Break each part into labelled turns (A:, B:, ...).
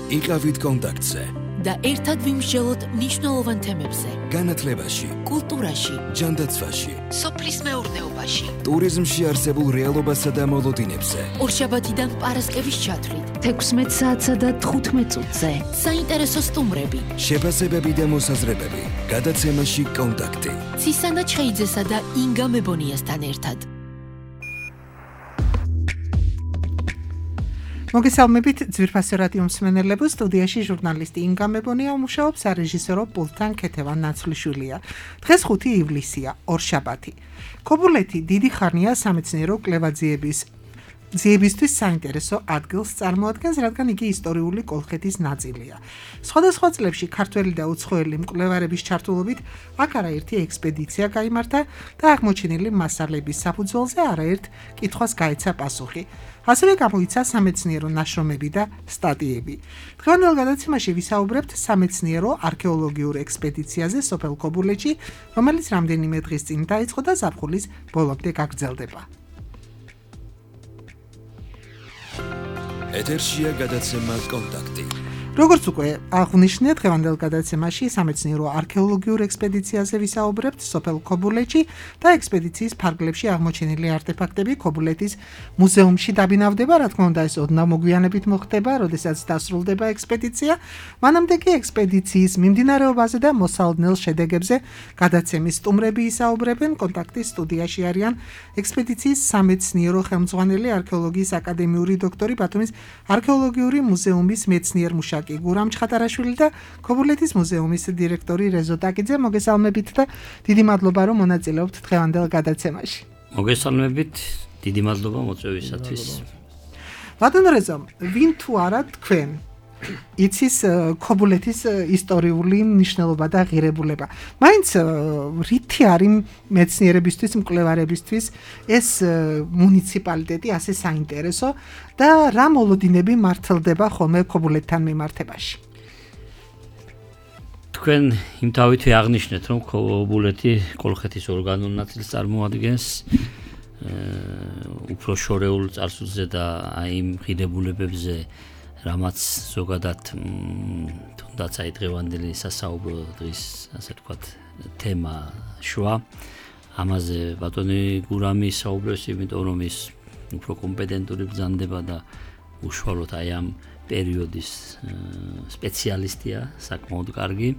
A: იყავით კონტაქტზე
B: და ერთად ვიმსჯელოთ მნიშვნელოვან თემებზე.
A: განათლებაში,
B: კულტურაში,
A: ჯანდაცვაში,
B: სოფლის მეურნეობაში,
A: ტურიზმში არსებულ რეალობასა და მოლოდინებზე.
B: ორშაბათიდან პარასკევის ჩათვლით,
C: 16 საათსა და 15 წუთზე.
B: საინტერესო სტუმრები,
A: შეფასებები და მოსაზრებები. გადაცემაში კონტაქტი.
B: ცისანა ჩხეიძესა და ინგა მებონიასთან ერთად.
D: მოგესალმებით ძვირფასი რადიო მსმენელებო, სტუდიაში ჟურნალისტი ინგა მებონია უმუშაობს, სარეჟისორო პულტთან ქეთევან ნაცვლიშვილია. დღეს 5 ივლისია, ორშაბათი. ქობულეთი დიდი ხანია სამეცნიერო კვლევაძიებისთვის საინტერესო ადგილს წარმოადგენს, რადგან იგი ისტორიული კოლხეთის ნაწილია. სხვადასხვა წლებში ქართველი და უცხოელი მკვლევარების ჩართულობით აქ არაერთი ექსპედიცია გაიმართა და აღმოჩენილი მასალების საფუძველზე არაერთ კითხვას გაეცა პასუხი. ასევე გამოიცა სამეცნიერო ნაშრომები და სტატიები. დღევანდელ გადაცემაში ვისაუბრებთ სამეცნიერო არქეოლოგიურ ექსპედიციაზე სოფელ ქობულეთში, რომელიც რამდენიმე დღის წინ დაიწყო და ზაფხულის ბოლომდე გაგრძელდება.
A: ეთერშია გადაცემა კონტაქტი.
D: როგორც უკვე აღნიშნეთ, დღევანდელ გადაცემაში სამეცნიერო არქეოლოგიურ ექსპედიციაზე ვისაუბრებთ სოფელ ქობულეთში და ექსპედიციის ფარგლებში აღმოჩენილი არტეფაქტები ქობულეთის მუზეუმში დაბინავდება, რა თქმა უნდა, ეს ოდნავ მოგვიანებით მოხდება, როდესაც დასრულდება ექსპედიცია. მანამდე კი ექსპედიციის მიმდინარეობაზე და მოსალოდნელ შედეგებზე გადაცემის სტუმრები ისაუბრებენ. კონტაქტის სტუდიაში არიან ექსპედიციის სამეცნიერო ხელმძღვანელი, არქეოლოგიის აკადემიური დოქტორი, ბათუმის არქეოლოგიური მუზეუმის მეცნიერ-მუშაკი გურამ ჩხატარაშვილი და ქობულეთის მუზეუმის დირექტორი რეზო ტაკიძე. მოგესალმებით და დიდი მადლობა, რომ მონაწილეობთ დღევანდელ გადაცემაში.
E: მოგესალმებით, დიდი მადლობა მოწვევისათვის.
D: ბატონო რეზო, ვინ თუ არა თქვენ იცის ქობულეთის ისტორიული მნიშვნელობა და ღირებულება. მაინც რითი არის მეცნიერებისთვის, მკვლევარებისთვის ეს მუნიციპალიტეტი ასე საინტერესო და რა მოლოდინები მართლდება ხოლმე ქობულეთთან მიმართებაში?
E: თქვენ იმ თავითვე აღნიშნეთ, რომ ქობულეთი კოლხეთის ორგანულ ნაწილს წარმოადგენს, უფრო შორეულ წარსულზე და აი იმ ღირებულებებზე, რამაც ზოგადად თუნდაც აი დღევანდელი სასაუბრო დღის ასე ვთქვათ თემა შუა ამაზე ბატონი გურამი საუბრობს, იმიტომ რომ ის უფრო კომპეტენტური ბრძანდება და უშუალოდ აი ამ პერიოდის სპეციალისტია, საკმაოდ კარგი.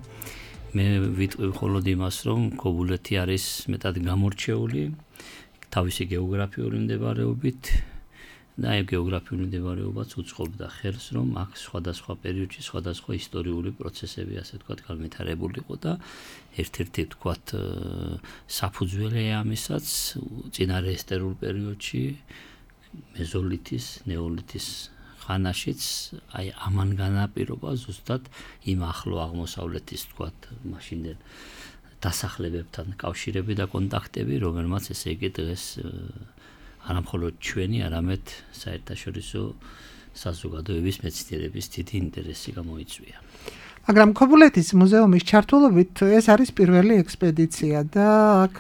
E: მე ვიტყვი მხოლოდ იმას, რომ ქობულეთი არის მეტად გამორჩეული თავისი გეოგრაფიული მდებარეობით და აი გეოგრაფიული მდებარეობაც უწყობდა ხელს, რომ აქ სხვადასხვა პერიოდში სხვადასხვა ისტორიული პროცესები ასე ვთქვათ განვითარებულიყო და ერთ-ერთი ვთქვათ საფუძველი ამისაც წინარე ესტერულ პერიოდში მეზოლითის, ნეოლითის ხანაშიც აი ამან განაპირობა ზუსტად იმ ახლო აღმოსავლეთის ვთქვათ მაშინდელ დასახლებებთან კავშირები და კონტაქტები, რომელმაც ესე იგი დღეს არა მხოლოდ ჩვენი, არამედ საერთაშორისო საზოგადოების მეცნიერების დიდი ინტერესი გამოიწვია.
D: მაგრამ ქობულეთის მუზეუმის ჩართულობით ეს არის პირველი ექსპედიცია და აქ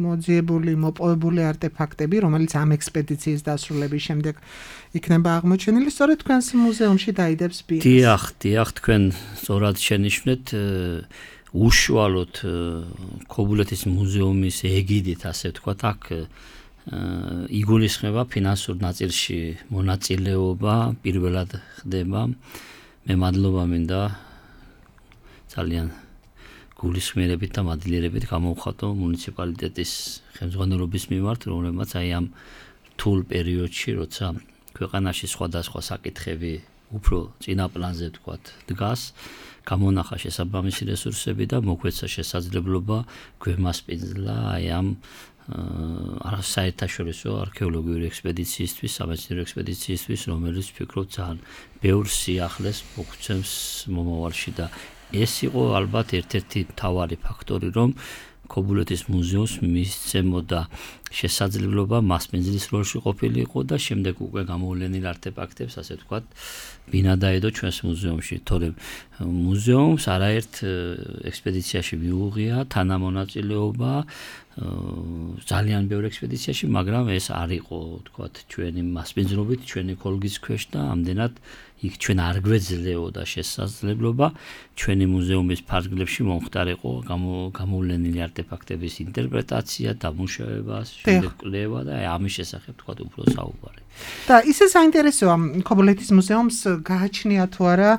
D: მოძიებული, მოპოვებული არტეფაქტები, რომელიც ამ ექსპედიციის დასრულების შემდეგ იქნება აღმოჩენილი, სწორედ თქვენს მუზეუმში დაიდებს ბიეს.
E: დიახ, თქვენ სწორად შენიშნეთ, უშუალოდ ქობულეთის მუზეუმის ეგიდით, ასე ვთქვათ, აქ იგულისხმება ფინანსურ ნაწილში მონაწილეობა პირველად ხდება. მე მადლობა მინდა ძალიან გულისხმიერებით და მადლიერებით გამოვხატო მუნიციპალიტეტის ხელმძღვანელობის მიმართ, რომელმაც აი ამ რთულ პერიოდში, როცა ქვეყანაში სხვადასხვა საკითხები უფრო წინა პლანზე ვთქვათ დგას, გამონახა შესაბამისი რესურსები და მოგვეცა შესაძლებლობა გვემასპინძლა აი ამ საერთაშორისო არქეოლოგიური ექსპედიციისთვის, სამეცნიერო ექსპედიციისთვის, რომელიც ვფიქრობ ძალიან ბევრ სიახლეს მოგვცემს მომავალში და ეს იყო ალბათ ერთ-ერთი მთავარი ფაქტორი, რომ ქობულეთის მუზეუმს მისცემოდა შესაძლებლობა მასპინძლის როლში ყოფილიყო და შემდეგ უკვე გამოვლენილ არტეფაქტებს, ასე ვთქვათ, ბინა დაედო ჩვენს მუზეუმში. თორემ მუზეუმს არაერთ ექსპედიციაში მიუღია თანამონაწილეობა ძალიან ბევრ ექსპედიციაში, მაგრამ ეს არ იყო, ვთქვათ, ჩვენი მასპინძლობით, ჩვენი ქოლგის ქვეშ და ამდენად იქ ჩვენ არ გვეძლეოდა შესაძლებლობა ჩვენი მუზეუმის ფარგლებში მომხდარიყო გამოვლენილი არტეფაქტების ინტერპრეტაცია, დამუშავება, შემდეგ კვლევა და ამის შესახებ ვთქვათ უფრო საუბარი.
D: და ისე საინტერესოა ქობულეთის მუზეუმს გააჩნია თუ არა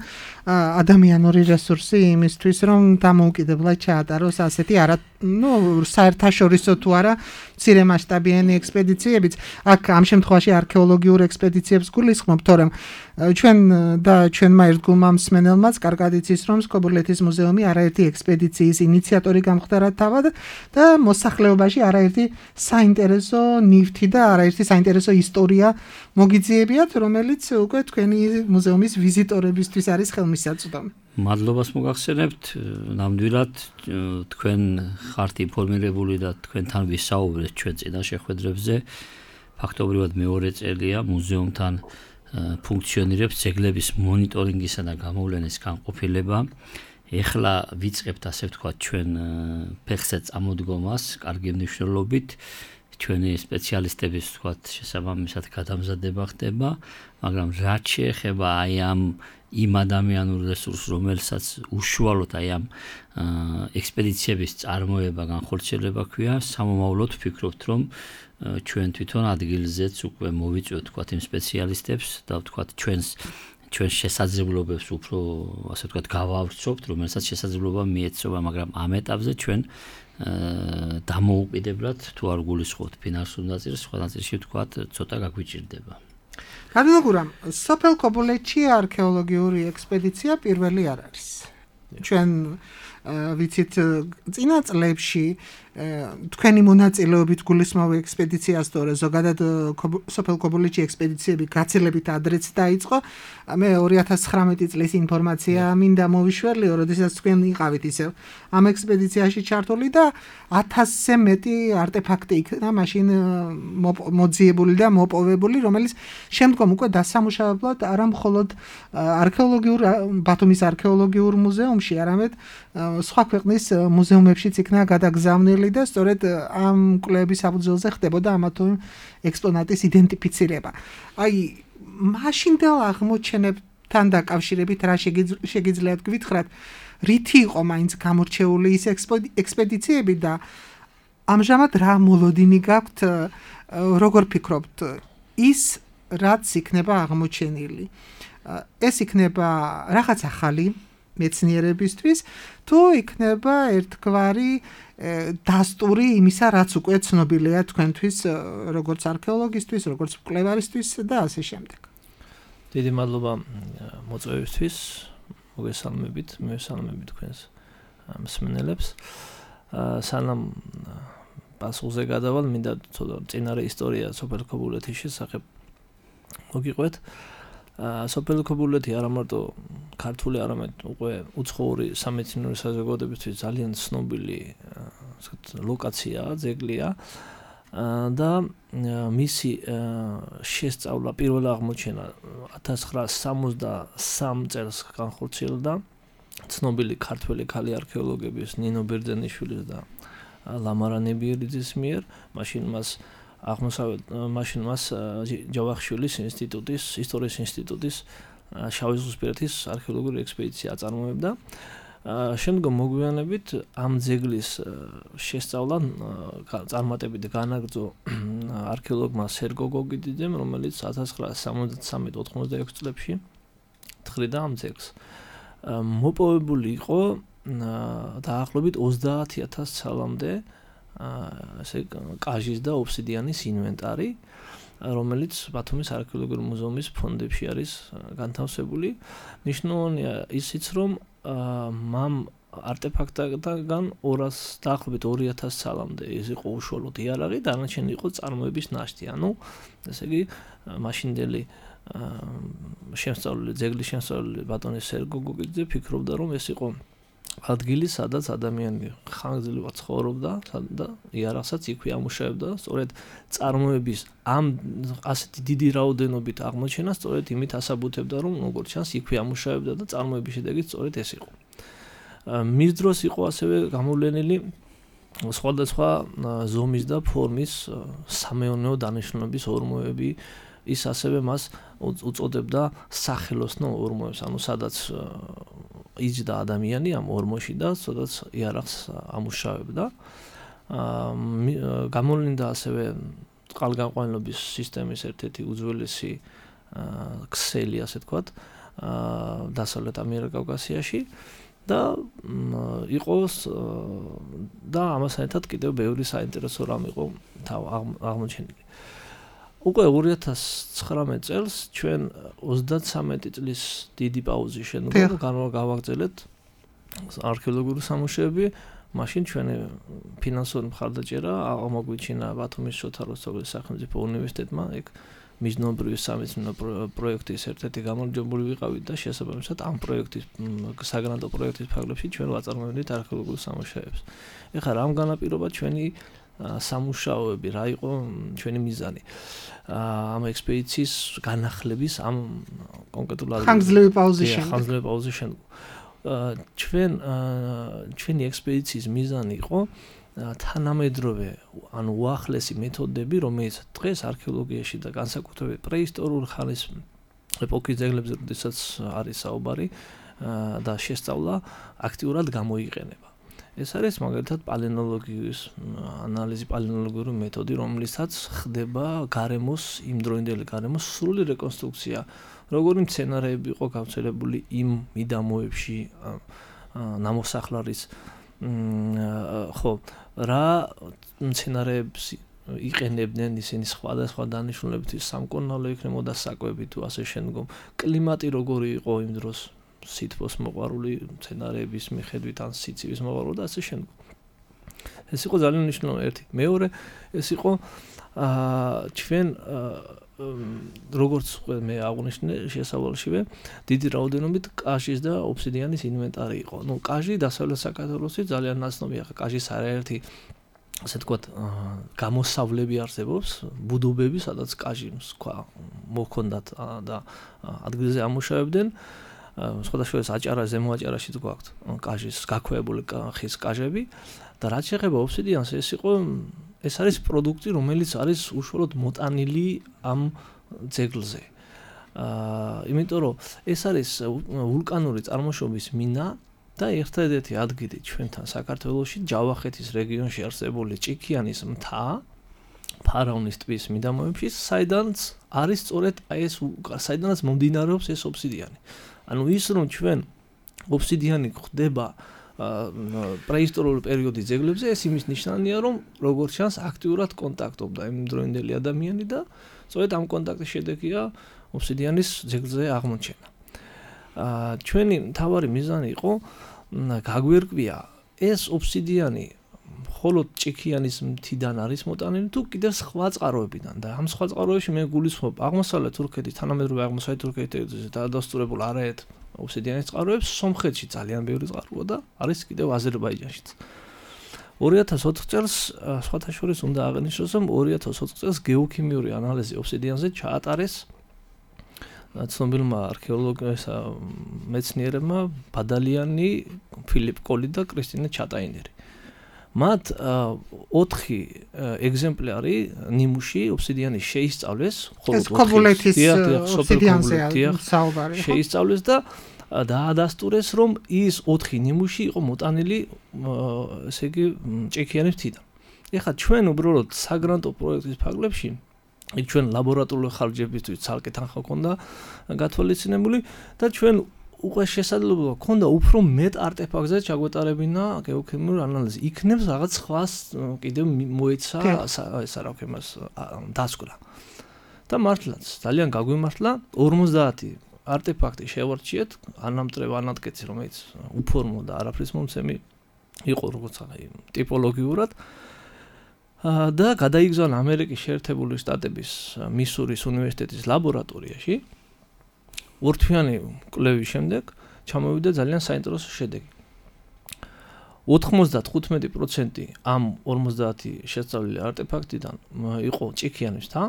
D: ადამიანური რესურსი იმისთვის, რომ დამოუკიდებლად ჩაატაროს ასეთი საერთაშორისო თუ არა მცირე მასშტაბიანი ექსპედიციებიც. აქ ამ შემთხვევაში არქეოლოგიურ ექსპედიციებს გულისხმობ, თორემ ჩვენმა ერთგულმა მსმენელმაც კარგად იცის, რომ ქობულეთის მუზეუმი არაერთი ექსპედიციის ინიციატორი გამხდარა თავად და მოსახლეობაში არაერთი საინტერესო ნივთი და არაერთი საინტერესო ისტორია მოგიძიებიათ, რომელიც უკვე თქვენი მუზეუმის ვიზიტორებისთვის არის ხელმისაწვდომი.
E: მადლობას მოგახსენებთ, ნამდვილად თქვენ ხართ ინფორმირებული და თქვენთან ვისაუბრეთ ჩვენ წინა შეხვედრებზე. ფაქტობრივად მეორე წელია მუზეუმთან ფუნქციონირებს ძეგლების მონიტორინგისა და გამოვლენის განყოფილება. ეხლა ვიწყებთ, ასე ვთქვათ, ჩვენ ფეხზე წამოდგომას კარგი მნიშვნელობით. ჩვენი სპეციალისტების, ვთქვათ, შესაბამისად გადამზადება ხდება, მაგრამ რაც შეეხება აი იმ ადამიანურ რესურსს, რომელსაც უშუალოდ აი ამ ექსპედიციების წარმოება, განხორციელება ქვია, სამომავლოდ ვფიქრობთ, რომ ჩვენ თვითონ ადგილზეც უკვე მოვიწვევთ, ვთქვათ, იმ სპეციალისტებს და ვთქვათ, ჩვენს შესაძლებლობებს უფრო, ასე ვთქვათ, გავავრცობთ, რომელსაც შესაძლებლობა მიეცომა, მაგრამ ამ ეტაპზე ჩვენ დამოუკიდებლად თუ არ გულისხმობთ ფინანსურ ნაწილს, სხვა ნაწილში ვთქვათ, ცოტა გაგვიჭირდება.
D: გარდაგვირა, სოფელ ქობულეთში არქეოლოგიური ექსპედიცია პირველი არ არის. ჩვენ ვიცით წინა წლებში თქვენი მონაწილეობით გულისხმობ ექსპედიციას, თორე ზოგადად სოფელ ქობულეთში ექსპედიციები გაცილებით ადრეც დაიწყო. მე 2019 წლის ინფორმაცია მინდა მოვიშველიო, როდესაც თქვენ იყავით ისევ ამ ექსპედიციაში ჩართული და 1000-ზე მეტი არტეფაქტი იქნა მაშინ მოძიებული და მოპოვებული, რომელიც შემდგომ უკვე დასამუშავებლად არა მხოლოდ ბათუმის არქეოლოგიურ მუზეუმში, არამედ სხვა ქვეყნის მუზეუმებშიც იქნა გადაგზავნილი და სწორედ ამ კვლევების საფუძველზე ხდებოდა ამა თუ იმ ექსპონატის იდენტიფიცირება. აი, მაშინდელ აღმოჩენებთან დაკავშირებით რა შეგიძლიათ გვითხრათ, რითი იყო მაინც გამორჩეული ის ექსპედიციები და ამჟამად რა მოლოდინი გაქვთ, როგორ ფიქრობთ, ის რაც იქნება აღმოჩენილი, ეს იქნება რაღაც ახალი მეცნიერებისთვის, თუ იქნება ერთგვარი დასტური იმისა, რაც უკვე ცნობილია თქვენთვის, როგორც არქეოლოგისთვის, როგორც მკვლევარისთვის და ასე შემდეგ.
F: დიდი მადლობა მოწვევისთვის, მოგესალმებით, მივესალმებით თქვენს მსმენელებს. სანამ პასუხზე გადავალ, მინდა ცოტა წინარე ისტორია სოფელ ქობულეთის შესახებ მოგიყვეთ. სოფელ ქობულეთი არა მარტო ქართული, არამედ უკვე უცხოური სამეცნიერო საზოგადოებისთვის ძალიან ცნობილი ლოკაციაა, ძეგლია და მისი შესწავლა, პირველ აღმოჩენა 1963 წელს განხორციელდა ცნობილი ქართველი ქალი არქეოლოგების ნინო ბერძენიშვილის და ლამარა ნებიერიძის მიერ. მაშინ მას ჯავახიშვილის ინსტიტუტის, ისტორიის ინსტიტუტის შავი ზღვისპირეთის არქეოლოგიური ექსპედიცია აწარმოებდა. შემდგომ მოგვიანებით ამ ძეგლის შესწავლა წარმატებით განაგრძო არქეოლოგმა სერგო გოგიდიძემ, რომელიც 1973-86 წლებში თხრიდა ამ ძეგლს. მოპოვებული იყო დაახლოებით 30,000 ცალამდე ასე კაჟის და ობსიდიანის ინვენტარი, რომელიც ბათუმის არქეოლოგიურ მუზეუმის ფონდებში არის განთავსებული. ნიშნულოვანია ისიც, რომ მამ არტეფაქტებიდან 200 დაახლოებით 2000 ცალამდე ეს იყო უშუალოდ იარაღი, დანარჩენი იყო წარმოების ნაშთი. ანუ ესე იგი მაშინდელი ძეგლის შემსწავლელი ბატონი სერგო გოგიძე ფიქრობდა, რომ ეს იყო ადგილი, სადაც ადამიანი ხანგრძლივად ცხოვრობდა და იარაღსაც იქვე ამუშავებდა, სწორედ წარმოების ამ ასეთი დიდი რაოდენობით აღმოჩენა სწორედ იმით ასაბუთებდა, რომ როგორც ჩანს, იქვე ამუშავებდა და წარმოების შედეგი სწორედ ეს იყო. მის დროს იყო ასევე გამოვლენილი სხვადასხვა ზომის და ფორმის სამეურნეო დანიშნულების ორმოები, ის ასევე მას უწოდებდა სახელოსნო ორმოებს, ანუ სადაც იჯდა ადამიანი ამ ორმოში და სადაც იარაღს ამუშავებდა. გამოვლინდა ასევე წყალგამყვანილობის სისტემის ერთ-ერთი უძველესი ქსელი, ასე თქვათ, დასავლეთ ამიერკავკასიაში და იყოს და ამასთან ერთად კიდევ ბევრი საინტერესო რამ იყო აღმოჩენილი. უკვე 2019 წელს ჩვენ 33 წლის დიდი პაუზის შემდგომ გავაგრძელეთ არქეოლოგიური სამუშაოები, მაშინ ჩვენი ფინანსური მხარდაჭერა აღმოგვიჩინა ბათუმის შოთა რუსთაველის სახელმწიფო უნივერსიტეტმა, ეგ მიზნობრივი სამეცნიერო პროექტის ერთ-ერთი გამარჯვებული ვიყავით და შესაბამისად ამ პროექტის საგრანტო პროექტის ფარგლებში ჩვენ ვაწარმოებდით არქეოლოგიურ სამუშაოებს. ეხლა რამ განაპირობა ჩვენი სამუშაოები, რა იყო ჩვენი მიზანი ამ ექსპედიციის განახლების ამ კონკრეტულ
D: ხანგრძლივი პაუზის
F: შემდგომ. ჩვენი ექსპედიციის მიზანი იყო თანამედროვე, ანუ უახლესი მეთოდები, რომელიც დღეს არქეოლოგიაში და განსაკუთრებით პრეისტორიული ხანის ეპოქის ძეგლებზე, როდესაც არის საუბარი და შესწავლა აქტიურად გამოიყენება. ეს არის მაგალითად პალეონოლოგიის ანალიზი, პალეონოლოგიური მეთოდი, რომლითაც ხდება გარემოს, იმდროინდელი გარემოს სრული რეკონსტრუქცია, როგორი მცენარეები იყო გავრცელებული იმ მიდამოებში, ნამოსახლარის ხო, რა მცენარეებს იყენებდნენ ისინი სხვადასხვა დანიშნულებით, სამკურნალო იქნებოდა საკვები თუ ასე შემდგომ, კლიმატი როგორი იყო იმ დროს, სითბოს მოყვარული მცენარეების მიხედვით ან სიცივის მოყვარული და ასე შემდგომ. ეს იყო ძალიან მნიშვნელოვანი ერთი. მეორე, ეს იყო ჩვენ როგორც მე აღვნიშნე შესავალშივე, დიდი რაოდენობით კაჟის და ობსიდიანის ინვენტარი იყო. ნუ კაჟი დასავლეთ საქართველოში ძალიან ნაცნობია, ხა კაჟის არაერთი ასე თქვათ გამოსავლები არსებობს, ბუდობები, სადაც კაჟი სხვა მოქონდათ და ადგილზე ამუშავებდნენ. სხვადასხვა აჭარა, ზემო აჭარაშიც გვაქვს კაჟის გაქვეებული ხის კაჟები და რაც შეეხება ობსიდიანს, ეს არის პროდუქტი, რომელიც არის უშუალოდ მოტანილი ამ ძეგლზე. იმიტომ რომ ეს არის ვულკანური წარმოშობის მინა და ერთადერთი ადგილი ჩვენთან საქართველოში, ჯავახეთის რეგიონში არსებული ჭიქიანის მთა, ფარავნის ტბის მიდამოებში, საიდანაც არის სწორედ ეს საიდანაც მომდინარეობს ეს ობსიდიანი. ანუ ის რომ ჩვენ ობსიდიანი ხდება პრეისტორიული პერიოდის ძეგლებზე, ეს იმის ნიშანია, რომ როგორც ჩანს აქტიურად კონტაქტობდა იმდროინდელი ადამიანი და სწორედ ამ კონტაქტის შედეგია ობსიდიანის ძეგლზე აღმოჩენა. ჩვენი მთავარი მიზანი იყო გაგვერკვია ეს ობსიდიანი მხოლოდ ჭიქიანის მთიდან არის მოტანილი თუ კიდევ სხვა წყაროებიდან და ამ სხვა წყაროებში მე გულისხმობ აღმოსავლეთ თურქეთის, თანამედროვე აღმოსავლეთ თურქეთის დაადასტურებულ არაერთ ობსიდიანის წყაროებს, სომხეთში ძალიან ბევრი წყაროა და არის კიდევ აზერბაიჯანშიც. 2004 წელს სხვათა შორის უნდა აღნიშნოს, რომ 2004 წელს გეოქიმიური ანალიზი ობსიდიანზე ჩაატარეს ცნობილმა არქეოლოგებმა მეცნიერებმა ბადალიანი, ფილიპ კოლი და კრისტინე ჩატაინერი. მათ 4 ეგზემპლარი ნიმუში ობსიდიანის შეისწავლეს,
D: ეს ქობულეთის ობსიდიანზე საუბარი.
F: შეისწავლეს და დაადასტურეს, რომ ის 4 ნიმუში იყო მოტანილი, ესე იგი, ჭიქიანის მთიდან. ეხლა ჩვენ უბრალოდ საგრანტო პროექტის ფარგლებში იქ ჩვენ ლაბორატორიული ხარჯებისთვის ცალკე თანხა ჰქონდა გათვალისწინებული და ჩვენ უკვე შესაძლებლობა ჰქონდა უფრო მეტ არტეფაქტზე ჩაგვეტარებინა გეოქიმიური ანალიზი. იქნებს რაღაც სხვას კიდევ მოეცა ესა რა ქვია მას დასკვნა. და მართლაც ძალიან გაგვიმართლა 50 არტეფაქტი შევარჩიეთ, ანამტრევ ანატკეცი, რომელიც უფორმო და არაფრის მომცემი იყო როგორც ტიპოლოგიურად. და გადაიგზავნა ამერიკის შეერთებული შტატების მისურის უნივერსიტეტის ლაბორატორიაში. ორთვიანი კვლევის შემდეგ ჩამოვიდა ძალიან საინტერესო შედეგი. 95% ამ 50 შესწავლილი არტეფაქტიდან იყო ჭიქიანებსთან.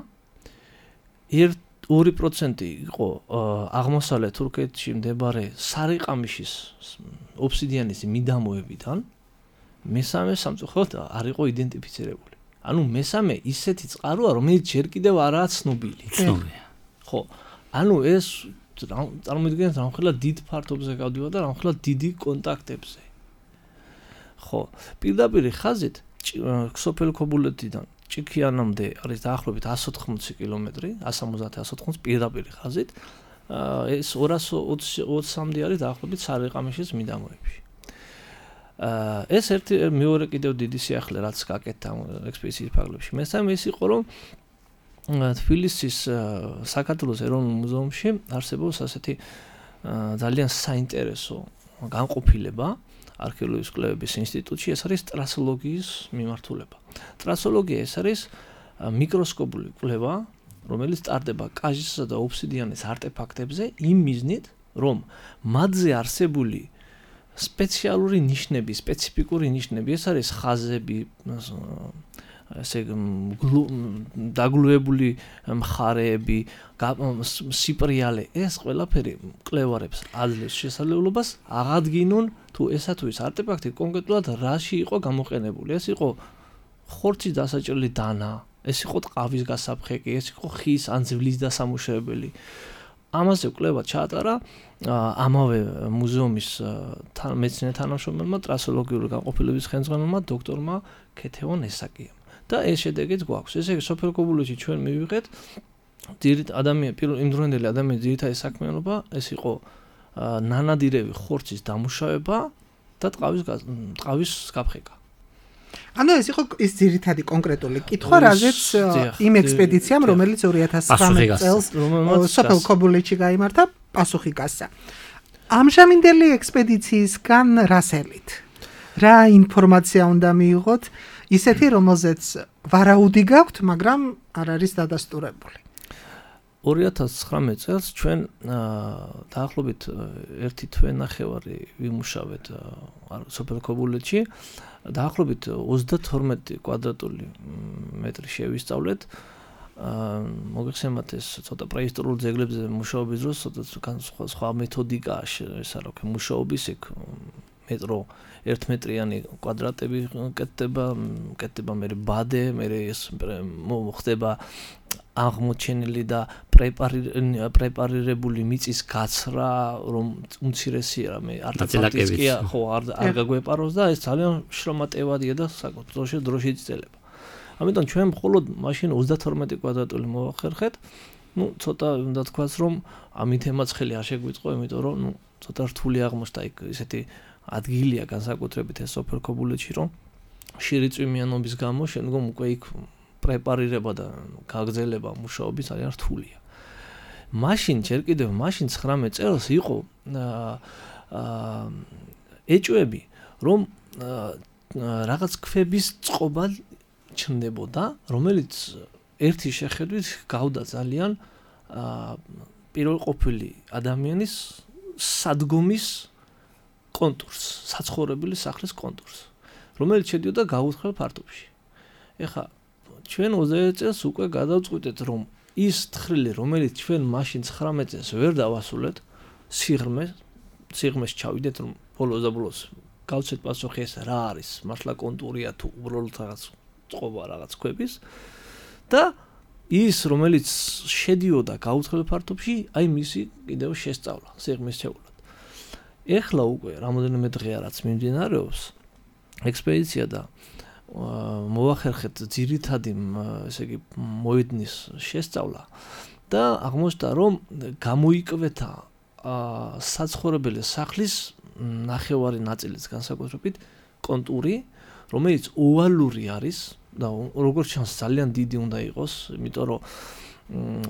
F: 2% იყო აღმოსავლეთ თურქეთში მდებარე სარიყამიშის ობსიდიანის მიდამოებიდან. მესამე სამწუხაროდ არ იყო იდენტიფიცირებული. ანუ მესამე ისეთი წყაროა, რომელიც ჯერ კიდევ არაა ცნობილი.
E: ცნობილია.
F: ხო. ანუ ეს წარმოიდგინეთ რამხელა დიდ ფართობზე გავდივარ და რამხელა დიდი კონტაქტებზე. ხო, პირდაპირ ხაზით სოფელ ქობულეთიდან ჭიქიანამდე არის დაახლოებით 180 კილომეტრი, 170-180 პირდაპირ ხაზით. ეს 220-მდე არის დაახლოებით სარიყამიშის მიდამოებში. ეს ერთი მეორე კიდევ დიდი სიახლე რაც გაკეთდა ექსპედიციის ფარგლებში. მესამე ის იყო რომ თბილისის საქართველოს ეროვნულ მუზეუმში არსებობს ასეთი ძალიან საინტერესო განყოფილება არქეოლოგიის კვლევების ინსტიტუტში, ეს არის ტრასოლოგიის მიმართულება. ტრასოლოგია ეს არის მიკროსკოპული კვლევა, რომელიც ტარდება კაჟისსა და ობსიდიანის არტეფაქტებზე იმ მიზნით, რომ მათზე არსებული სპეციალური ნიშნები, სპეციფიკური ნიშნები, ეს არის ხაზები, ესე დაგლუებული მხარეები, სიპრიალე, ეს ყველაფერი მკვლევარებს აძლევს შესაძლებლობას აღადგინონ თუ ესა თუ ის არტეფაქტი კონკრეტულად რაში იყო გამოყენებული. ეს იყო ხორცის დასაჭრელი დანა, ეს იყო ტყავის გასაფხეკი, ეს იყო ხის ან ძვლის დასამუშავებელი. ამაზე კვლევა ჩაატარა ამავე მუზეუმის მეცნიერ თანამშრომელმა ტრასოლოგიური განყოფილების ხელმძღვანელმა დოქტორმა ქეთევან ესაკიამ. და ეს შედეგიც გვაქვს. ესე იგი სოფელ ქობულეთში ჩვენ მივიღეთ იმდროინდელი ადამიანის ძირითადი საქმიანობა, ეს იყო ნანადირევი ხორცის დამუშავება და ტყავის გაფხეკა.
D: ანუ ეს იყო ის ძირითადი კონკრეტული კითხვა, რაზეც იმ ექსპედიციამ, რომელიც 2019 წელს სოფელ ქობულეთში გაიმართა, პასუხი გასცა. ამჟამინდელი ექსპედიციისგან რასელით? რა ინფორმაცია უნდა მიიღოთ? ისეთი, რომელზეც ვარაუდი გაქვთ, მაგრამ არ არის დადასტურებული.
F: 2019 წელს ჩვენ დაახლოებით 1 თვე-ნახევარი ვიმუშავეთ სოფელ ქობულეთში. დაახლოებით 32 კვადრატული მეტრი შევისწავლეთ. მოგეხსენებათ ეს ცოტა პრეისტორიულ ძეგლებზე მუშაობის დროს ცოტა სხვა მეთოდიკაა ესა რა ქვია მუშაობის ეგ მეტრო 1 მეტრიანი კვადრატები კეთდება მე ბადე მე ეს მოხდება აღმოჩენილი და პრეპარირებული მიწის გაცრა რომ უმცირესია მე არტეფაქტის კი ხო არ გაგვეპაროს და ეს ძალიან შრომატევადია და საკუთრებაში დროში იწელება. ამიტომ ჩვენ მხოლოდ მაშინ 32 კვადრატული მოვახერხეთ. ნუ ცოტა უნდა თქვას რომ ამით ემაცხელი არ შეგვიწყო, იმიტომ რომ ნუ ცოტა რთული აღმოჩნდა იქ ისეთი ადგილია განსაკუთრებით ეს სოფელ ქობულეთში რომ შირიწვიმიანობის გამო შემდგომ უკვე იქ პრეპარირება და გაგრძელება მუშაობის ძალიან რთულია. მაშინ ჯერ კიდევ მაშინ 19 წელს იყო ეჭვები რომ რაღაც ქვების წყობა ჩნდებოდა, რომელიც ერთი შეხედვით გავდა ძალიან პირველყოფილი ადამიანის სადგომის კონტურს, საცხოვრებელი სახლის კონტურს, რომელიც შედიოდა გაუთხელ ფართობში. ეხლა ჩვენ 20 წელს უკვე გადავწყვიტეთ, რომ ის თხრილი, რომელიც ჩვენ მაშინ 19 წელს ვერ დავასრულეთ, სიღრმეს ჩავიდეთ, რომ ბოლოს და ბოლოს გავცეთ პასუხი ეს რა არის, მართლა კონტურია თუ უბრალოდ რაღაც წყობა რაღაც ქვების და ის, რომელიც შედიოდა გაუთხელ ფართობში, აი მისი კიდევ შესწავლა, სიღრმის შეულა. ეხლა უკვე რამოდენიმე დღეა რაც მიმდინარეობს ექსპედიცია და მოვახერხეთ ძირითადი ესე იგი მოედნის შესწავლა და აღმოჩნდა რომ გამოიკვეთა საცხოვრებელი სახლის ნახევარი ნაწილის განსაკუთრებით კონტური, რომელიც ოვალური არის და როგორც ჩანს ძალიან დიდი უნდა იყოს, იმიტომ რომ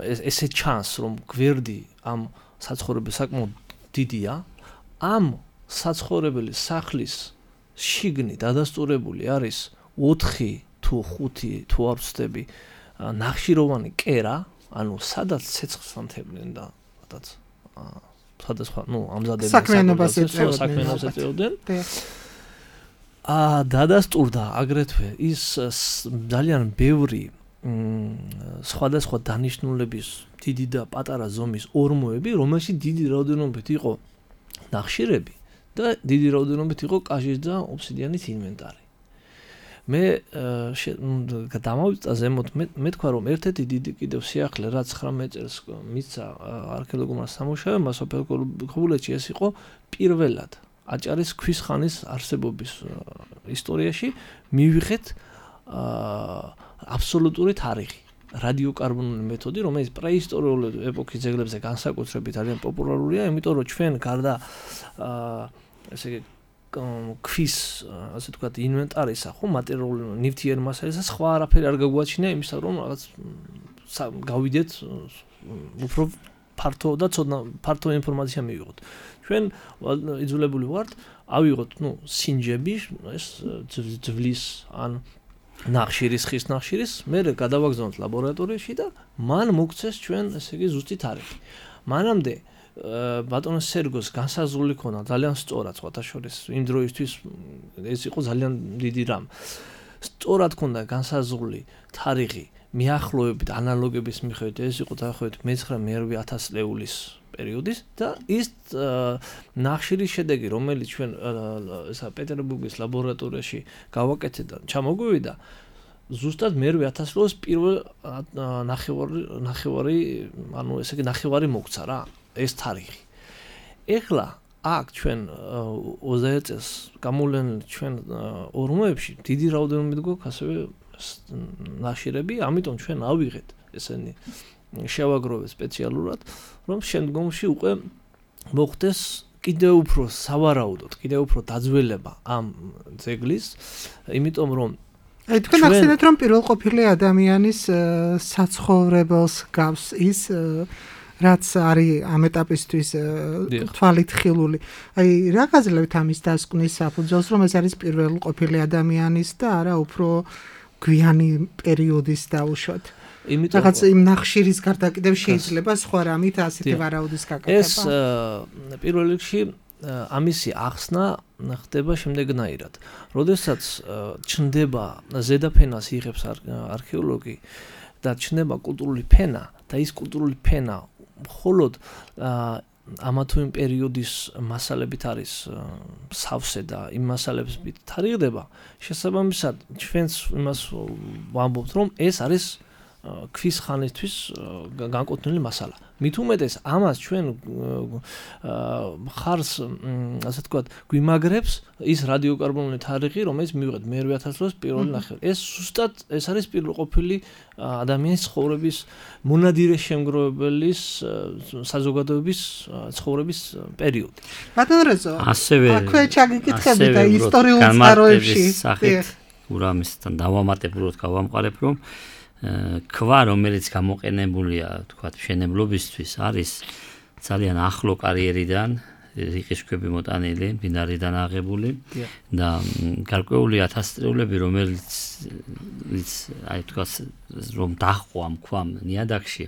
F: ესე ჩანს რომ გვერდი ამ საცხოვრებელ საკმაოდ დიდია. ამ საცხოვრებელი სახლის შიგნით დადასტურებული არის 4 თუ 5 თუ არ ვცდები ნახშიროვანი კერა, ანუ სადაც ცეცხლს ამთებდნენ და სადაც სხვადასხვა, ამზადებდნენ საქმიანობას ეწეოდნენ. დადასტურდა აგრეთვე ის ძალიან ბევრი სხვადასხვა დანიშნულების დიდი და პატარა ზომის ორმოები, რომელშიც დიდი რაოდენობით იყო ნახშირები და დიდი რაოდენობით იყო კაჟის და ობსიდიანის ინვენტარი. მე დამავიწა ზემოთ მე თქვა რომ ერთ-ერთი დიდი კიდევ სიახლე რაც 19 წელს მისცა არქეოლოგურმა სამუშაოებმა სოფელ ქობულეთში ეს იყო პირველად აჭარის ქვის ხანის არსებობის ისტორიაში მივიღეთ აბსოლუტური თარიღი რადიოკარბონული მეთოდი რომელიც პრეისტორიული ეპოქის ძეგლებზე განსაკუთრებით ძალიან პოპულარულია იმიტომ რომ ჩვენ გარდა ესე იგი ქვის ასე ვთქვათ ინვენტარისა ხო მატერიალური ნივთიერი მასალისა სხვა არაფერი არ გაგვაჩნია იმისა რომ რაღაც გავიდეთ უფრო ფართო და ცოდნა ფართო ინფორმაცია მივიღოთ ჩვენ იძულებული ვართ ავიღოთ სინჯები ეს ძვლის ან ნახშირის ხის ნახშირის მე გადავაგზავნოთ ლაბორატორიაში და მან მოგცეს ჩვენ ესე იგი ზუსტი თარიღი მანამდე ბატონო სერგოს განსაზღვრული ქონა ძალიან სწორად სხვათა შორის იმ დროისთვის ეს იყო ძალიან დიდი რამ სწორად ქონდა განსაზღვრული თარიღი მიახლოებით ანალოგების მიხედვით ეს იყო დაახლოებით მე-9-1000 წლეულის პერიოდის და ის ნახშირის შედეგი რომელიც ჩვენ ესა პეტერბურგის ლაბორატორიაში გავაკეთეთ და ჩამოგვივიდა ზუსტად მე-1000 წლეულის პირველ ნახევარი ანუ ესე იგი ნახევარი მოგცა რა ეს თარიღი. ეხლა აქ ჩვენ 21 წელს გამოვლენილი ჩვენ ორმოებში დიდი რაოდენობით გვაქვს ასევე ნახშირები, ამიტომ ჩვენ ავიღეთ ესენი შევაგროვეთ სპეციალურად, რომ შემდგომში უკვე მოხდეს კიდევ უფრო სავარაუდოდ, კიდევ უფრო დაძველება ამ ძეგლის, იმიტომ რომ
D: თქვენ ახსენეთ რომ პირველყოფილი ადამიანის საცხოვრებელს გავს ის რაც არის ამ ეტაპისთვის თვალით ხილული. აი რა გაძლევთ ამის დასკვნის საფუძველს, რომ ეს არის პირველყოფილი ადამიანის და არა უფრო გვიანი პერიოდის დაუშვათ. რაღაც იმ ნახშირის გარდა კიდევ შეიძლება სხვა რამით ასეთი ვარაუდის გაკეთება.
F: ეს პირველ რიგში ამისი ახსნა ხდება შემდეგნაირად. როდესაც ჩნდება ზედაფენას იღებს არქეოლოგი და ჩნდება კულტურული ფენა და ის კულტურული ფენა მხოლოდ ამა თუ იმ პერიოდის მასალებით არის სავსე და იმ მასალებით თარიღდება, შესაბამისად ჩვენს იმას ვამბობთ, რომ ეს არის ქვის ხანისთვის განკუთვნილი მასალა. მით უმეტეს ამას ჩვენ ხარს ასე ვთქვათ გვიმაგრებს ის რადიოკარბონული თარიღი, რომელიც მივიღეთ მე-1000 წლის პირველი ნახევარი. ეს ზუსტად ეს არის პირველყოფილი ადამიანის ცხოვრების მონადირე შემგროვებელის საზოგადოების ცხოვრების პერიოდი.
D: ბატონ რეზო,
E: ასევე
D: აქვე ჩაგიკითხები და ისტორიულ წყაროებში
E: ურამისთან დავამატებულად გავამყარებ, რომ ქვა, რომელიც გამოყენებულია, თქვათ, მშენებლობისთვის, არის ძალიან ახლო კარიერიდან, რიყის ქვები მოტანილი, მდინარიდან აღებული და გარკვეული ათასწლეულები, რომელიც აი თქვათ, რომ დაჰყვა ამ ქვამ ნიადაგში,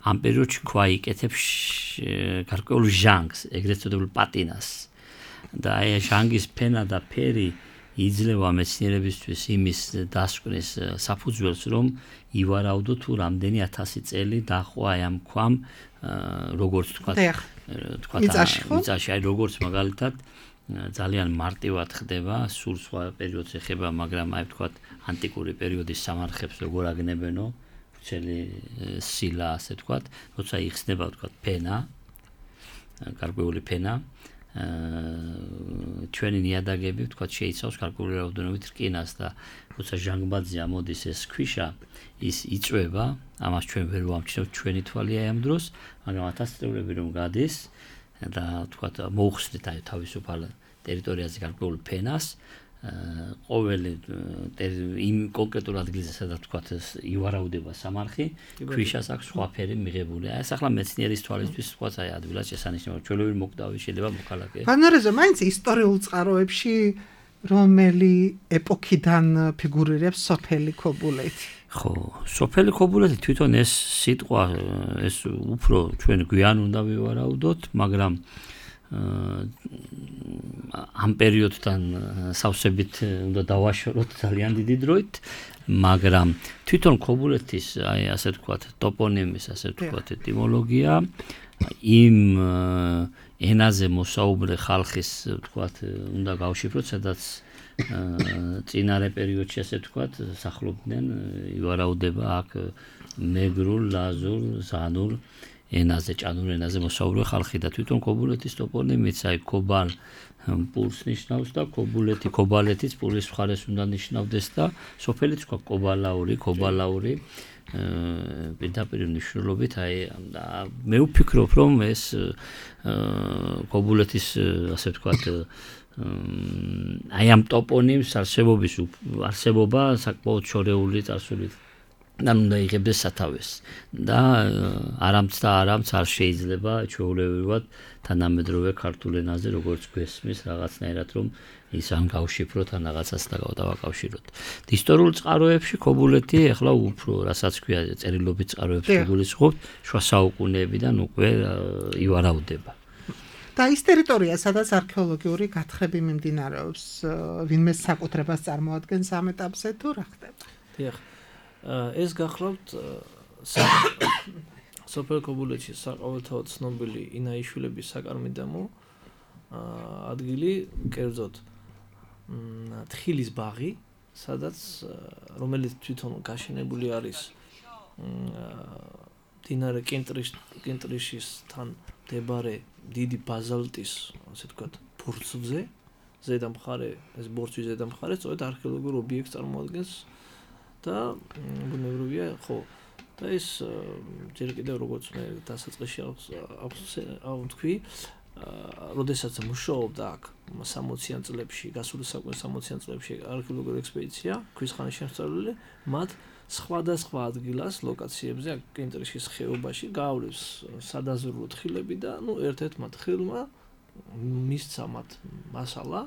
E: ამ პერიოდში ქვა იკეთებს გარკვეულ ჟანგს, ეგრეთ წოდებულ პატინას. და აი ჟანგის ფენა და ფერი იძლევა მეცნიერებისთვის იმის დასკვნის საფუძველს, რომ ივარაუდო თუ რამდენი 1000 წელი დაჰყვა ამ ქვამ, როგორც თქვათ, მიწაში, აი როგორც მაგალითად ძალიან მარტივად ხდება, სულ სხვა პერიოდს ეხება, მაგრამ აი თქვათ ანტიკური პერიოდის სამარხებს როგორ აგნებენო, ვრცელი სილა, ასე თქვათ, როცა იხსნება თქვათ ფენა, გარკვეული ფენა ჩვენი ნიადაგები ვთქვათ შეიცავს გარკვეული რაოდენობით რკინას და როცა ჟანგბადზე ამოდის ეს ქვიშა ის იწვება ამას ჩვენ ვერ ვამჩნევთ ჩვენი თვალია ამ დროს მაგრამ 1000 წლები რომ გადის და ვთქვათ მოუხსნით აი თავისუფალ ტერიტორიაზე გარკვეულ ფენას ყოველი იმ კონკრეტულ ადგილზე სადაც ვთქვათ ივარაუდება სამარხი ქვიშას აქვს სხვა ფერი მიღებული აი ეს ახლა მეცნიერის თვალისთვის ვთქვათ აი ადვილად შესანიშნავია ჩვეულებრივი მოკვდავი შეიძლება მოქალაქე
D: ბანორეზო მაინც ისტორიულ წყაროებში რომელი ეპოქიდან ფიგურირებს სოფელი ქობულეთი
E: ხო სოფელი ქობულეთი თვითონ ეს სიტყვა ეს უფრო ჩვენ გვიან უნდა ვივარაუდოთ მაგრამ ამ პერიოდთან სავსებით უნდა დავაშოროთ ძალიან დიდი დროით, მაგრამ თვითონ ქობულეთის, ასე ვთქვათ, ტოპონიმის, ასე ვთქვათ, ეტიმოლოგია იმ ენაზე მოსაუბრე ხალხის, ვთქვათ, უნდა გავშიფროთ, სადაც წინარე პერიოდში, ასე ვთქვათ, სახლობდნენ, ივარაუდება აქ მეგრულ, ლაზურ, ზანურ ენაზე, ჭანურ ენაზე მოსაუბრე ხალხი და თვითონ ქობულეთის ტოპონიმიც, აი ქობალ პურს ნიშნავს და ქობალეთის პურის მხარეს უნდა ნიშნავდეს და სოფელიც თქვა ქობალაური პირდაპირ მნიშვნელობით, აი მე ვფიქრობ, რომ ეს ქობულეთის, ასე ვთქვათ, აი ამ ტოპონიმს არსებობა საკმაოდ შორეული წარსულით უნდა იღებდეს სათავეს და არამც არ შეიძლება ჩვეულებრივად თანამედროვე ქართულ ენაზე როგორც გვესმის რაღაცნაირად რომ ის ან გავშიფროთ ან რაღაცას დავაკავშიროთ. ისტორიულ წყაროებში ქობულეთი ახლა უფრო რასაც ქვია წერილობით წყაროებში გულისხმობთ შუა საუკუნეებიდან უკვე ივარაუდება.
D: და ის ტერიტორია, სადაც არქეოლოგიური გათხრები მიმდინარეობს, ვინმე საკუთრებას წარმოადგენს ამ ეტაპზე თუ რა ხდება?
F: დიახ. ეს გახლავთ სოფელ ქობულეთში საყოველთაოდ ცნობილი ინაიშვილების საკარმიდამო ადგილი, კერძოდ თხილის ბაღი, სადაც რომელიც თვითონ გაშენებული არის მდინარე კინტრიშისთან მდებარე დიდი ბაზალტის, ასე ვთქვათ, ბორცვზე, ზედა მხარე, ეს ბორცვის ზედა მხარე სწორედ არქეოლოგიურ ობიექტს წარმოადგენს და ბუნებრივია, ხო, და ეს ჯერ კიდევ როგორც მე დასაწყისში ვთქვი, როდესაც მუშაობდა აქ 60-იან წლებში, გასული საუკუნის 60-იან წლებში არქეოლოგიური ექსპედიცია, ქვის ხანის შემსწავლელი, მათ სხვადასხვა ადგილას, ლოკაციებზე, აქ კინტრიშის ხეობაში გაავლეს სადაზვერვო თხილები და ერთ-ერთმა თხილმა მისცა მათ მასალა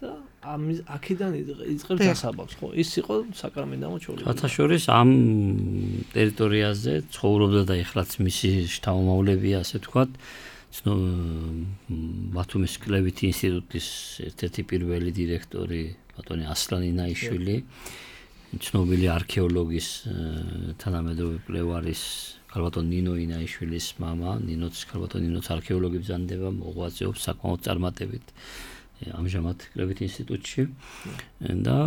F: და აქედან იწყებს დასაბამს, ხო? ის იყო საკარმიდამო ჩვეულებრივი.
E: საერთაშორის ამ ტერიტორიაზე ცხოვრობდა და ეხლაც მისი შთამომავლებია, ასე ვთქვათ, ბათუმის კლებითი ინსტიტუტის ერთ-ერთი პირველი დირექტორი ბატონი ასლან ინაიშვილი, ცნობილი არქეოლოგის, თანამედროვე კვლევარის ქალბატონ ნინო ინაიშვილის მამა, ქალბატონ ნინოც არქეოლოგი ბრძანდება, მოღვაწეობს საკმაოდ წარმატებით ამჟამად კლებითი ინსტიტუტში და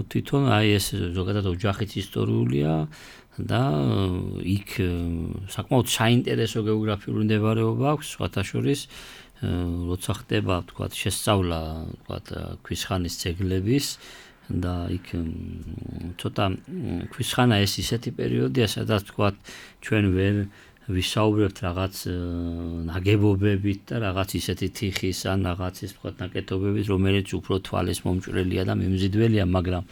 E: თვითონ აი ეს ზოგადად ოჯახიც ისტორიულია და იქ საკმაოდ საინტერესო გეოგრაფიული მდებარეობა აქვს, სხვათა შორის როცა ხდება, ვთქვათ, შესწავლა, ვთქვათ, ქვის ხანის ძეგლების და იქ ცოტა ქვის ხანა ეს ისეთი პერიოდია, სადაც ვთქვათ, ჩვენ ვერ ვისაუბრებთ რაღაც ნაგებობებით და რაღაც ისეთი თიხის ან რაღაცის, ვთქვათ, ნაკეთობებით, რომელიც უფრო თვალის მომჭრელია და მიმზიდველია, მაგრამ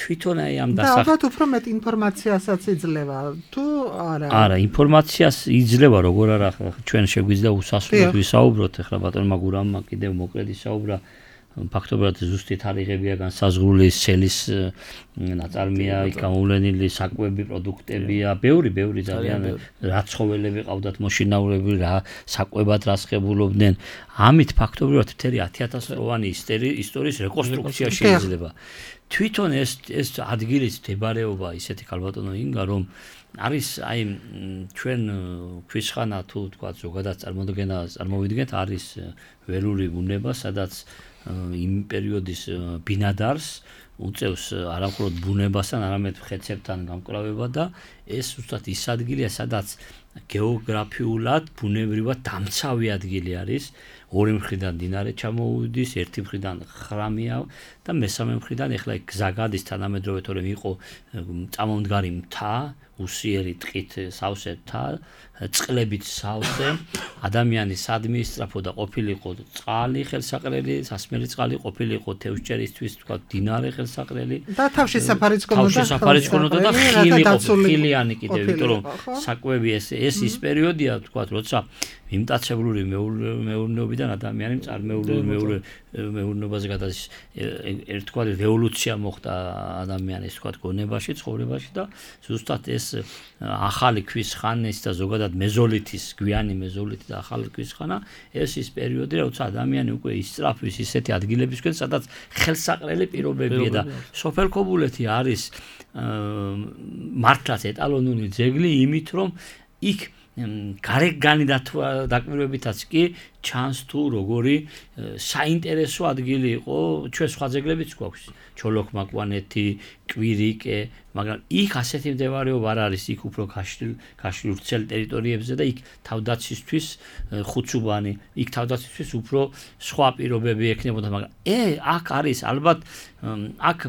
E: თვითონ აი ამ
D: და ალბათ უფრო მეტ ინფორმაციასაც იძლევა თუ არა?
E: არა, ინფორმაციას იძლევა, როგორ არა, ჩვენ შეგვიძლია უსასრულოდ ვისაუბროთ, ახლა ბატონმა გურამმა კიდევ მოკლედ ისაუბრა, ფაქტობრივად ზუსტი თარიღებია განსაზღვრული, სელის ნაწარმია, იქ გამოვლენილი საკვები პროდუქტებია, ბევრი ძალიან რა ცხოველები ყავდათ მოშინაურებული, რა საკვებად რასხებულობდნენ. ამით ფაქტობრივად მთელი 10,000-წლოვანი ისტორიის რეკონსტრუქცია შეიძლება. თვითონ ეს ადგილის მდებარეობა ისეთი ქალბატონო ინგა, რომ არის აი ჩვენ ქვის ხანა თუ თქვა ზოგადად წარმოვიდგენთ, არის ველური ბუნება, სადაც იმ პერიოდის ბინადარს უწევს არამხოლოდ ბუნებასთან, არამედ ხეცებთან გამკლავება და ეს უბრალოდ ის ადგილია, სადაც გეოგრაფიულად, ბუნებრივად დამცავი ადგილი არის. ორი მხრიდან მდინარე ჩამოუდის, ერთი მხრიდან ხრამია და მესამე მხრიდან ეხლა გზა გადის თანამედროვე, თორემ იყო წამომდგარი მთა, უსიერი ტყით სავსე მთა, წყლებით სავსე, ადამიანი სადმი ისწრაფოდა, ყოფილიყო წყალი ხელსაყრელი, სასმელი წყალი, ყოფილიყო თევზჭერისთვის, თქვა მდინარე ხელსაყრელი
D: და თავშესაფარიც
E: ქონოდა და ხილიანი კიდევ, იმიტომ რომ საკვები ეს ის პერიოდია, თქვა, როცა მიმტაცებლური მეურნეობიდან ადამიანი წარმოებული მეურნეობაზე გადადის ერთგვარი რევოლუცია მოხდა ადამიანის თქვა გონებაში, ცხოვრებაში და ზუსტად ეს ახალი ქვის ხანის და ზოგადად მეზოლითის, გვიანი მეზოლითი და ახალი ქვის ხანა ეს ის პერიოდი, როცა ადამიანი უკვე ისწრაფვის ისეთი ადგილებისკენ, სადაც ხელსაყრელი პირობებია და სოფელ ქობულეთი არის მართლაც ეტალონური ძეგლი იმით, რომ იქ გარეგანი დაკვირვებითაც კი ჩანს თუ როგორი საინტერესო ადგილი იყო ჩვენ სხვა ძეგლებიც გვაქვს ჩოლოქ-მაკვანეთი, კვირიკე, მაგრამ იქ ასეთი მდებარეობა არ არის, იქ უფრო გაშლილ ვრცელ ტერიტორიებზე და იქ თავდაცვისთვის ხუცუბანი, იქ თავდაცვისთვის უფრო სხვა პირობები ექნებოდა, მაგრამ აქ არის ალბათ აქ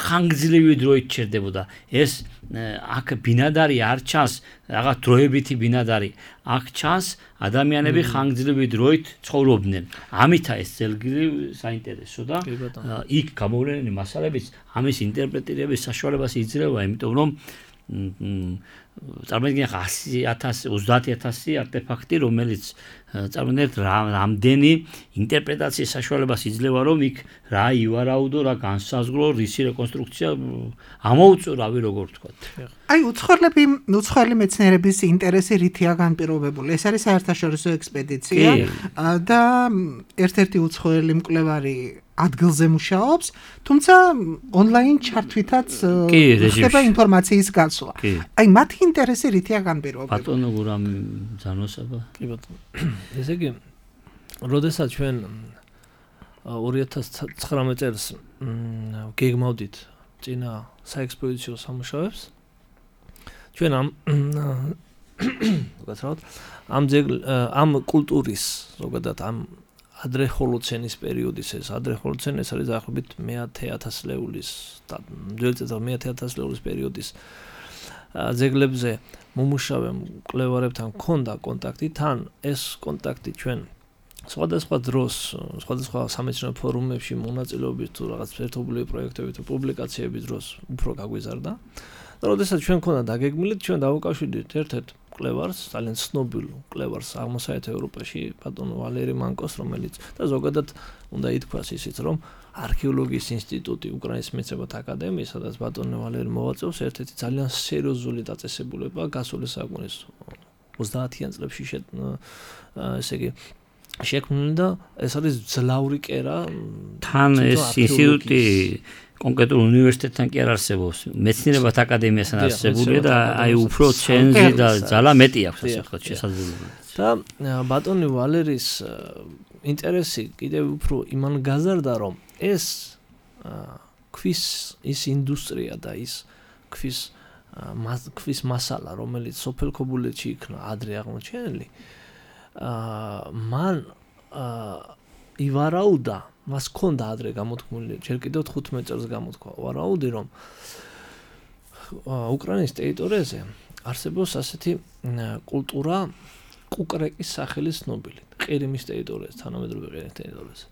E: ხანგრძლივი დროით ჩერდებოდა ეს აქ ბინადარი არ ჩანს რაღაც დროებითი ბინადარი აქ ჩანს ადამიანები ხანგრძლივი დროით ცხოვრობდნენ ამითა ეს ძეგლი საინტერესო და იქ გამოვლენილი მასალებიც ამის ინტერპრეტირების საშუალებას იძლევა იმიტომ რომ წარმოიდგინეთ 100,000 30,000 არტეფაქტი რომელიც წარმოიდგინეთ რამდენი ინტერპრეტაციის საშუალებას იძლევა რომ იქ რა ივარაუდო რა განსაზღვრო რისი რეკონსტრუქცია ამოუწო რავი როგორ ვთქვა
D: აი უცხოელი მეცნიერების ინტერესი რითია განპირობებული ეს არის საერთაშორისო ექსპედიცია და ერთ-ერთი უცხოელი მკვლევარი ადგილზე მუშაობს, თუმცა ონლაინ ჩართვითაც ხდება ინფორმაციის გაცვლა. აი მათი ინტერესი რითია განპირობებული?
E: ბატონო გურამ ძანოსაბა.
F: კი ბატონო. ესე იგი, როდესაც ჩვენ 2019 წელს გეგმავდით წინა საექსპოზიციო სამუშაოებს, ჩვენ ამ კულტურის ზოგადად ამ ადრე ჰოლოცენის პერიოდის ეს ადრე ჰოლოცენი ეს არის დაახლოებით 10,000 ლეულის და 10,000 ლეულის პერიოდის ძეგლებზე მომუშავე მკვლევარებთან ჰქონდა კონტაქტი თან ეს კონტაქტი ჩვენ სხვადასხვა დროს სხვადასხვა სამეცნიერო ფორუმებში მონაწილეობით თუ რაღაც ერთობლივი პროექტები თუ პუბლიკაციების დროს უფრო გაგვიზარდა და როდესაც ჩვენ ჰქონდა დაგეგმილი ჩვენ დავუკავშირდით ერთ-ერთ მკვლევარს, ძალიან ცნობილ მკვლევარს აღმოსავლეთ ევროპაში, ბატონო ვალერი მანკოს, რომელიც და ზოგადად უნდა ითქვას ისიც, რომ არქეოლოგიის ინსტიტუტი უკრაინის მეცნიერებათა აკადემიის, სადაც ბატონო ვალერი მოვაწევს, ერთ-ერთი ძალიან სერიოზული დაწესებულება გასული საუკუნის 30-იან წლებში ესე იგი შექმნილი და ეს არის ძლავრი კერა
E: თან ეს ინსტიტუტი კონკრეტულ უნივერსიტეტთან კი არ არსებობს. მეცნიერებათა აკადემიასთან არსებულია და აი უფრო ჩენზი და ძალა მეტი აქვს ასე ვთქვათ შესაძლებლობა.
F: და ბატონი ვალერის ინტერესი კიდევ უფრო იმან გაზარდა რომ ეს ქვის ის ინდუსტრია და ის ქვის მასალა რომელიც სოფელ ქობულეთში იქნა ადრე აღმოჩენილი მან ივარაუდა მას ქონდა ადრე გამოთქმული ჯერ კიდევ 15 წელს გამოთქვა ვარაუდი რომ უკრაინის ტერიტორიაზე არსებობს ასეთი კულტურა კუკრეკის სახელის ცნობილი ყირიმის ტერიტორიაზე თანამედროვე ყირიმის ტერიტორიაზე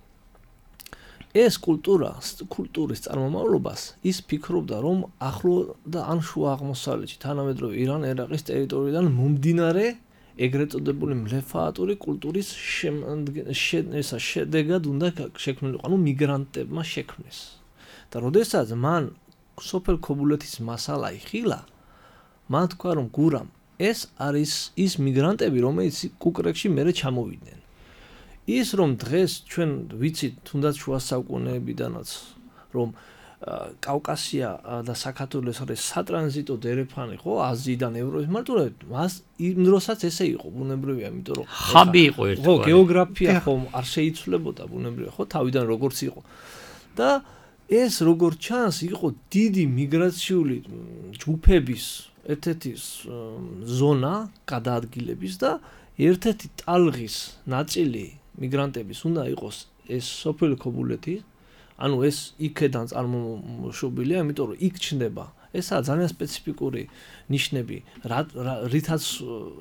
F: ეს კულტურის წარმომავლობას ის ფიქრობდა რომ ახლო და ან შუა აღმოსავლეთში თანამედროვე ირან-ერაყის ტერიტორიიდან მომდინარე ეგრეთ წოდებული მლეფაატური კულტურის შედეგად უნდა შექმნილიყო, ანუ მიგრანტებმა შექმნეს. და როდესაც მან სოფელ ქობულეთის მასალა იხილა, მან თქვა რომ გურამ ეს არის ის მიგრანტები, რომელიც კუკრეკში მერე ჩამოვიდნენ. ის რომ დღეს ჩვენ ვიცით თუნდაც შუა საუკუნეებიდანაც რომ კავკასია და საქართველოს არის სატრანზიტო დერეფანი ხო აზიიდან ევროპის მარტივად მას იმ დროსაც ესე იყო ბუნებრივია იმიტომ რომ
E: ხაბი იყო ერთგვარი
F: ხო გეოგრაფია ხო არ შეიცვლებოდა ბუნებრივია ხო თავიდან როგორც იყო და ეს როგორც ჩანს იყო დიდი მიგრაციული ჯგუფების ერთ-ერთი ზონა გადაადგილების და ერთ-ერთი ტალღის ნაწილი მიგრანტების უნდა იყოს ეს სოფელი ქობულეთი ანუ ეს იქედან წარმოშობილია, იმიტომ რომ იქ ჩნდება. ესაა ძალიან სპეციფიკური ნიშნები, რითაც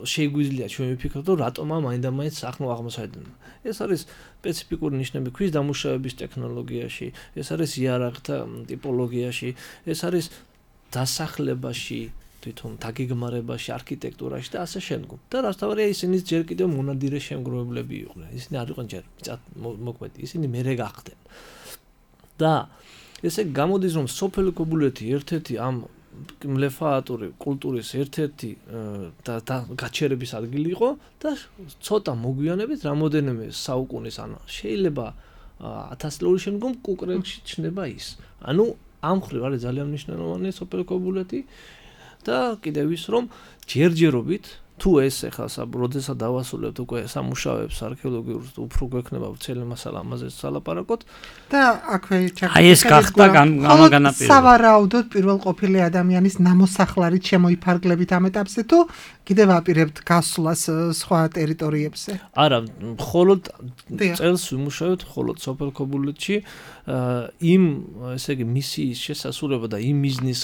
F: შეგვიძლია ჩვენ ვიფიქროთ, რომ რატომა მაინდა-მაინც ახლა აღმოსავლეთიდან. ეს არის სპეციფიკური ნიშნები ქვის დამუშავების ტექნოლოგიაში, ეს არის იარაღთა ტიპოლოგიაში, ეს არის დასახლებაში, თვითონ დაგეგმარებაში, არქიტექტურაში და ასე შემდგომ. და რასთავარია ისინი ჯერ კიდევ მონადირე შემგროვებლები იყვნენ. ისინი არ იყვნენ ჯერ მოქმედი, ისინი მერე გახდნენ. და ესე გამოდის რომ სოფელი ქობულეთი ერთ-ერთი ამ მლეფაატური კულტურის ერთ-ერთი და გაჩერების ადგილი იყო და ცოტა მოგვიანებით რამოდენიმე საუკუნის ან შეიძლება 1000 წლების შემდგომ კუკრებში ჩნდება ის. ანუ ამ მხრივ არის ძალიან მნიშვნელოვანი სოფელი ქობულეთი და კიდევ ის რომ ჯერჯერობით თუ ეს ახლა როდესაც დავასრულებთ უკვე სამუშაოებს არქეოლოგიურ უფრო გვექნება ვრცელი მასალა ამაზე სალაპარაკოთ
D: და აქვე
E: აი ეს გახდა გამაგანაპირება.
D: სავარაუდოდ პირველ ყოფილი ადამიანის ნამოსახლარით შემოიფარგლებით ამ ეტაპზე თუ კიდევ აპირებთ გასვლას სხვა ტერიტორიებზე?
F: არა, მხოლოდ წელს ვიმუშავებთ მხოლოდ სოფელ ქობულეთში იმ ესე იგი მისიის შესასრულება და იმ მიზნის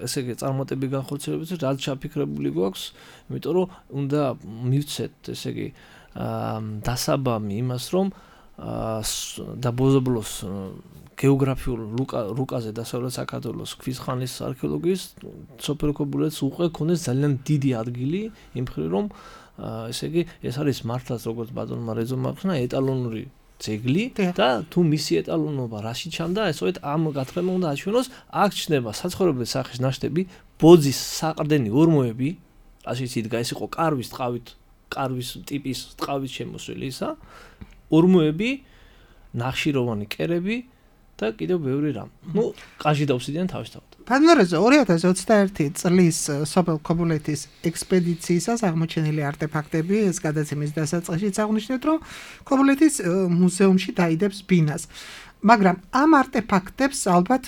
F: ესე იგი წარმატების განხორციელებას რაც ჩაფიქრებული გვაქვს, იმიტომ რომ უნდა მივცეთ ესე იგი დასაბამი იმას რომ და ბოზობლოს გეოგრაფიულ რუკაზე დასავლეთ საქართველოს ქვის ხანის არქეოლოგიის სოფელ ქობულეთს უკვე ქონდეს ძალიან დიდი ადგილი იმ მხრივ რომ ესე იგი ეს არის მართლაც როგორც ბატონმა რეძომ ახსნა ეტალონური ძეგლი და თუ მისი ეტალონობა რაში ჩანდა ესოეთ ამ გათხრება უნდა აჩვენოს აქ ჩნდება საცხოვრებლის სახის ნაშთები ბოძის საყრდენი ორმოები ასე იდგა ეს იყო კარვის ტიპის ტყავის შემოსველი ისა ორმოები ნახშიროვანი კერები და კიდევ ბევრი რამ. ნუ ყაჟი დავსიდიან თავისთავად.
D: ბატონორეზე 2021 წლის სოფელ ქობულეთის ექსპედიციისას აღმოჩენილი არტეფაქტები ეს გადაცემის დასაწყისშიც აღნიშნეთ რომ ქობულეთის მუზეუმში დაიდებს ბინას. მაგრამ ამ არტეფაქტებს ალბათ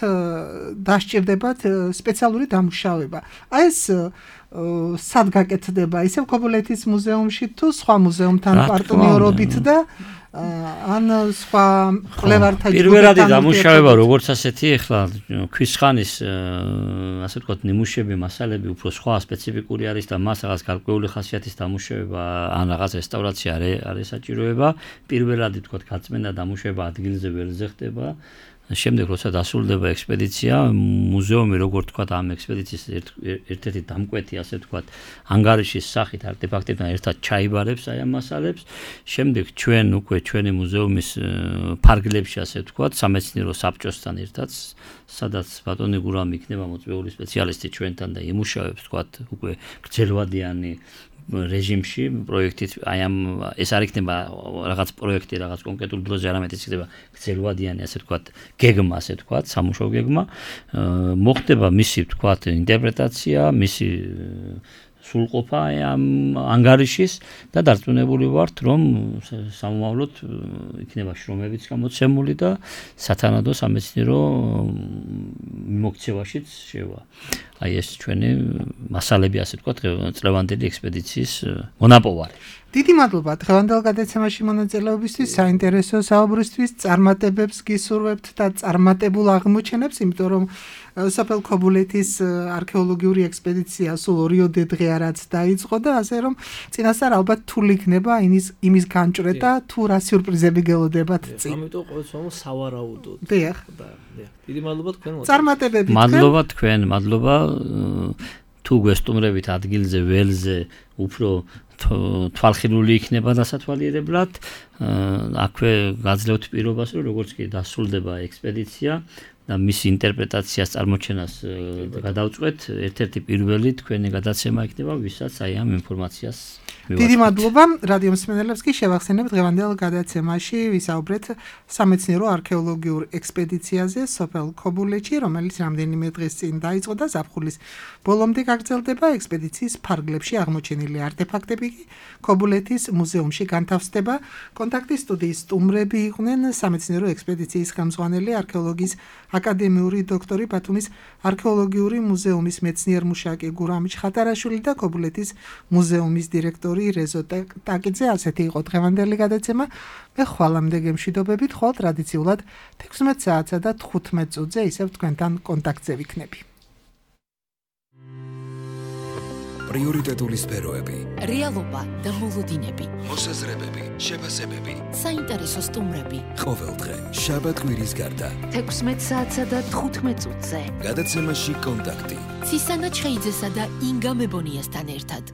D: დასჭირდებათ სპეციალური დამუშავება. აი ეს სად გაკეთდება? ისევ ქობულეთის მუზეუმში თუ სხვა მუზეუმთან პარტნიორობით და ან სხვა კვლევართა
E: პირველადი დამუშავება როგორც ასეთი ახლა ქვის ხანის ასე ვთქვათ ნიმუშები მასალები უფრო სხვა სპეციფიკური არის და მას რაღაც გარკვეული ხასიათის დამუშავება ან რაღაც რესტავრაცია არის საჭიროება პირველადი ვთქვათ გაწმენდა დამუშავება ადგილზე ველზე ხდება შემდეგ როცა დასრულდება ექსპედიცია მუზეუმი როგორ ვთქვათ ამ ექსპედიციის ერთ-ერთი დამკვეთი ასე ვთქვათ ანგარიშის სახით არტეფაქტებთან ერთად ჩაიბარებს აი ამ მასალებს შემდეგ ჩვენ უკვე ჩვენი მუზეუმის ფარგლებში ასე ვთქვათ სამეცნიერო საბჭოსთან ერთად სადაც ბატონი გურამი იქნება მოწვეული სპეციალისტი ჩვენთან და იმუშავებს ვთქვათ უკვე გრძელვადიანი რეჟიმში პროექტით აი ამ ეს არ იქნება რაღაც პროექტი რაღაც კონკრეტულ დროზე არამედ ის იქნება გრძელვადიანი ასე ვთქვათ გეგმა ასე ვთქვათ სამუშაო გეგმა მოხდება მისი ვთქვათ ინტერპრეტაცია მისი სრულყოფა ამ ანგარიშის და დარწმუნებული ვართ რომ სამომავლოდ იქნება შრომებიც გამოცემული და სათანადო სამეცნიერო მიმოქცევაშიც შევა აი ეს ჩვენი მასალები ასე ვთქვათ წლევანდელი ექსპედიციის მონაპოვარი.
D: დიდი მადლობა დღევანდელ გადაცემაში მონაწილეობისთვის, საინტერესო საუბრისთვის, წარმატებებს გისურვებთ და წარმატებულ აღმოჩენებს, იმიტომ რომ სოფელ ქობულეთის არქეოლოგიური ექსპედიცია სულ 2 დღე არაც დაიწყო და ასე რომ წინასწარ ალბათ თული იქნება იმის განჭრე და თუ რა სიურპრიზები გელოდებათ წინ.
F: ამიტომ ყოველთვის სავარაუდოდ.
D: დიახ.
F: დიდი მადლობა თქვენ.
D: წარმატებები.
E: მადლობა თქვენ, მადლობა თუ გვესტუმრებით ადგილზე ველზე უფრო თვალხილული იქნება დასათვალიერებლად აქვე გაძლევთ პირობას რომ როგორც კი დასრულდება ექსპედიცია და მისი ინტერპრეტაციას წარმოჩენას გადავწყვეთ ერთ-ერთი პირველი თქვენი გადაცემა იქნება ვისაც აი ამ ინფორმაციას
D: დიდი მადლობა რადიო მსმენელებს კი შევახსენებ დღევანდელ გადაცემაში ვისაუბრეთ სამეცნიერო არქეოლოგიურ ექსპედიციაზე სოფელ ქობულეთში რომელიც რამდენიმე დღის წინ დაიწყო და ზაფხულის ბოლომდე გაგრძელდება ექსპედიციის ფარგლებში აღმოჩენილი არტეფაქტები კი ქობულეთის მუზეუმში განთავსდება კონტაქტის სტუდიის სტუმრები იყვნენ სამეცნიერო ექსპედიციის ხელმძღვანელი არქეოლოგიის აკადემიური დოქტორი ბათუმის არქეოლოგიური მუზეუმის მეცნიერ-მუშაკი გურამი ჩხატარაშვილი და ქობულეთის მუზეუმის დირექტორი რეზო ტაკიძე ასეთი იყო დღევანდელი გადაცემა მე ხვალამდე გემშვიდობებით ხვალ ტრადიციულად 16 საათსა და 15 წუთზე ისევ თქვენთან კონტაქტზე ვიქნები
A: პრიორიტეტული სფეროები,
B: რეალობა და მოლოდინები,
A: მოსაზრებები, შეფასებები.
B: საინტერესო სტუმრები.
A: ყოველდღე, შაბათ-კვირის გარდა.
C: 16 საათსა და 15 წუთზე.
A: გადაცემაში კონტაქტი.
B: ცისანა ჩხეიძესა და ინგა მებონიასთან ერთად.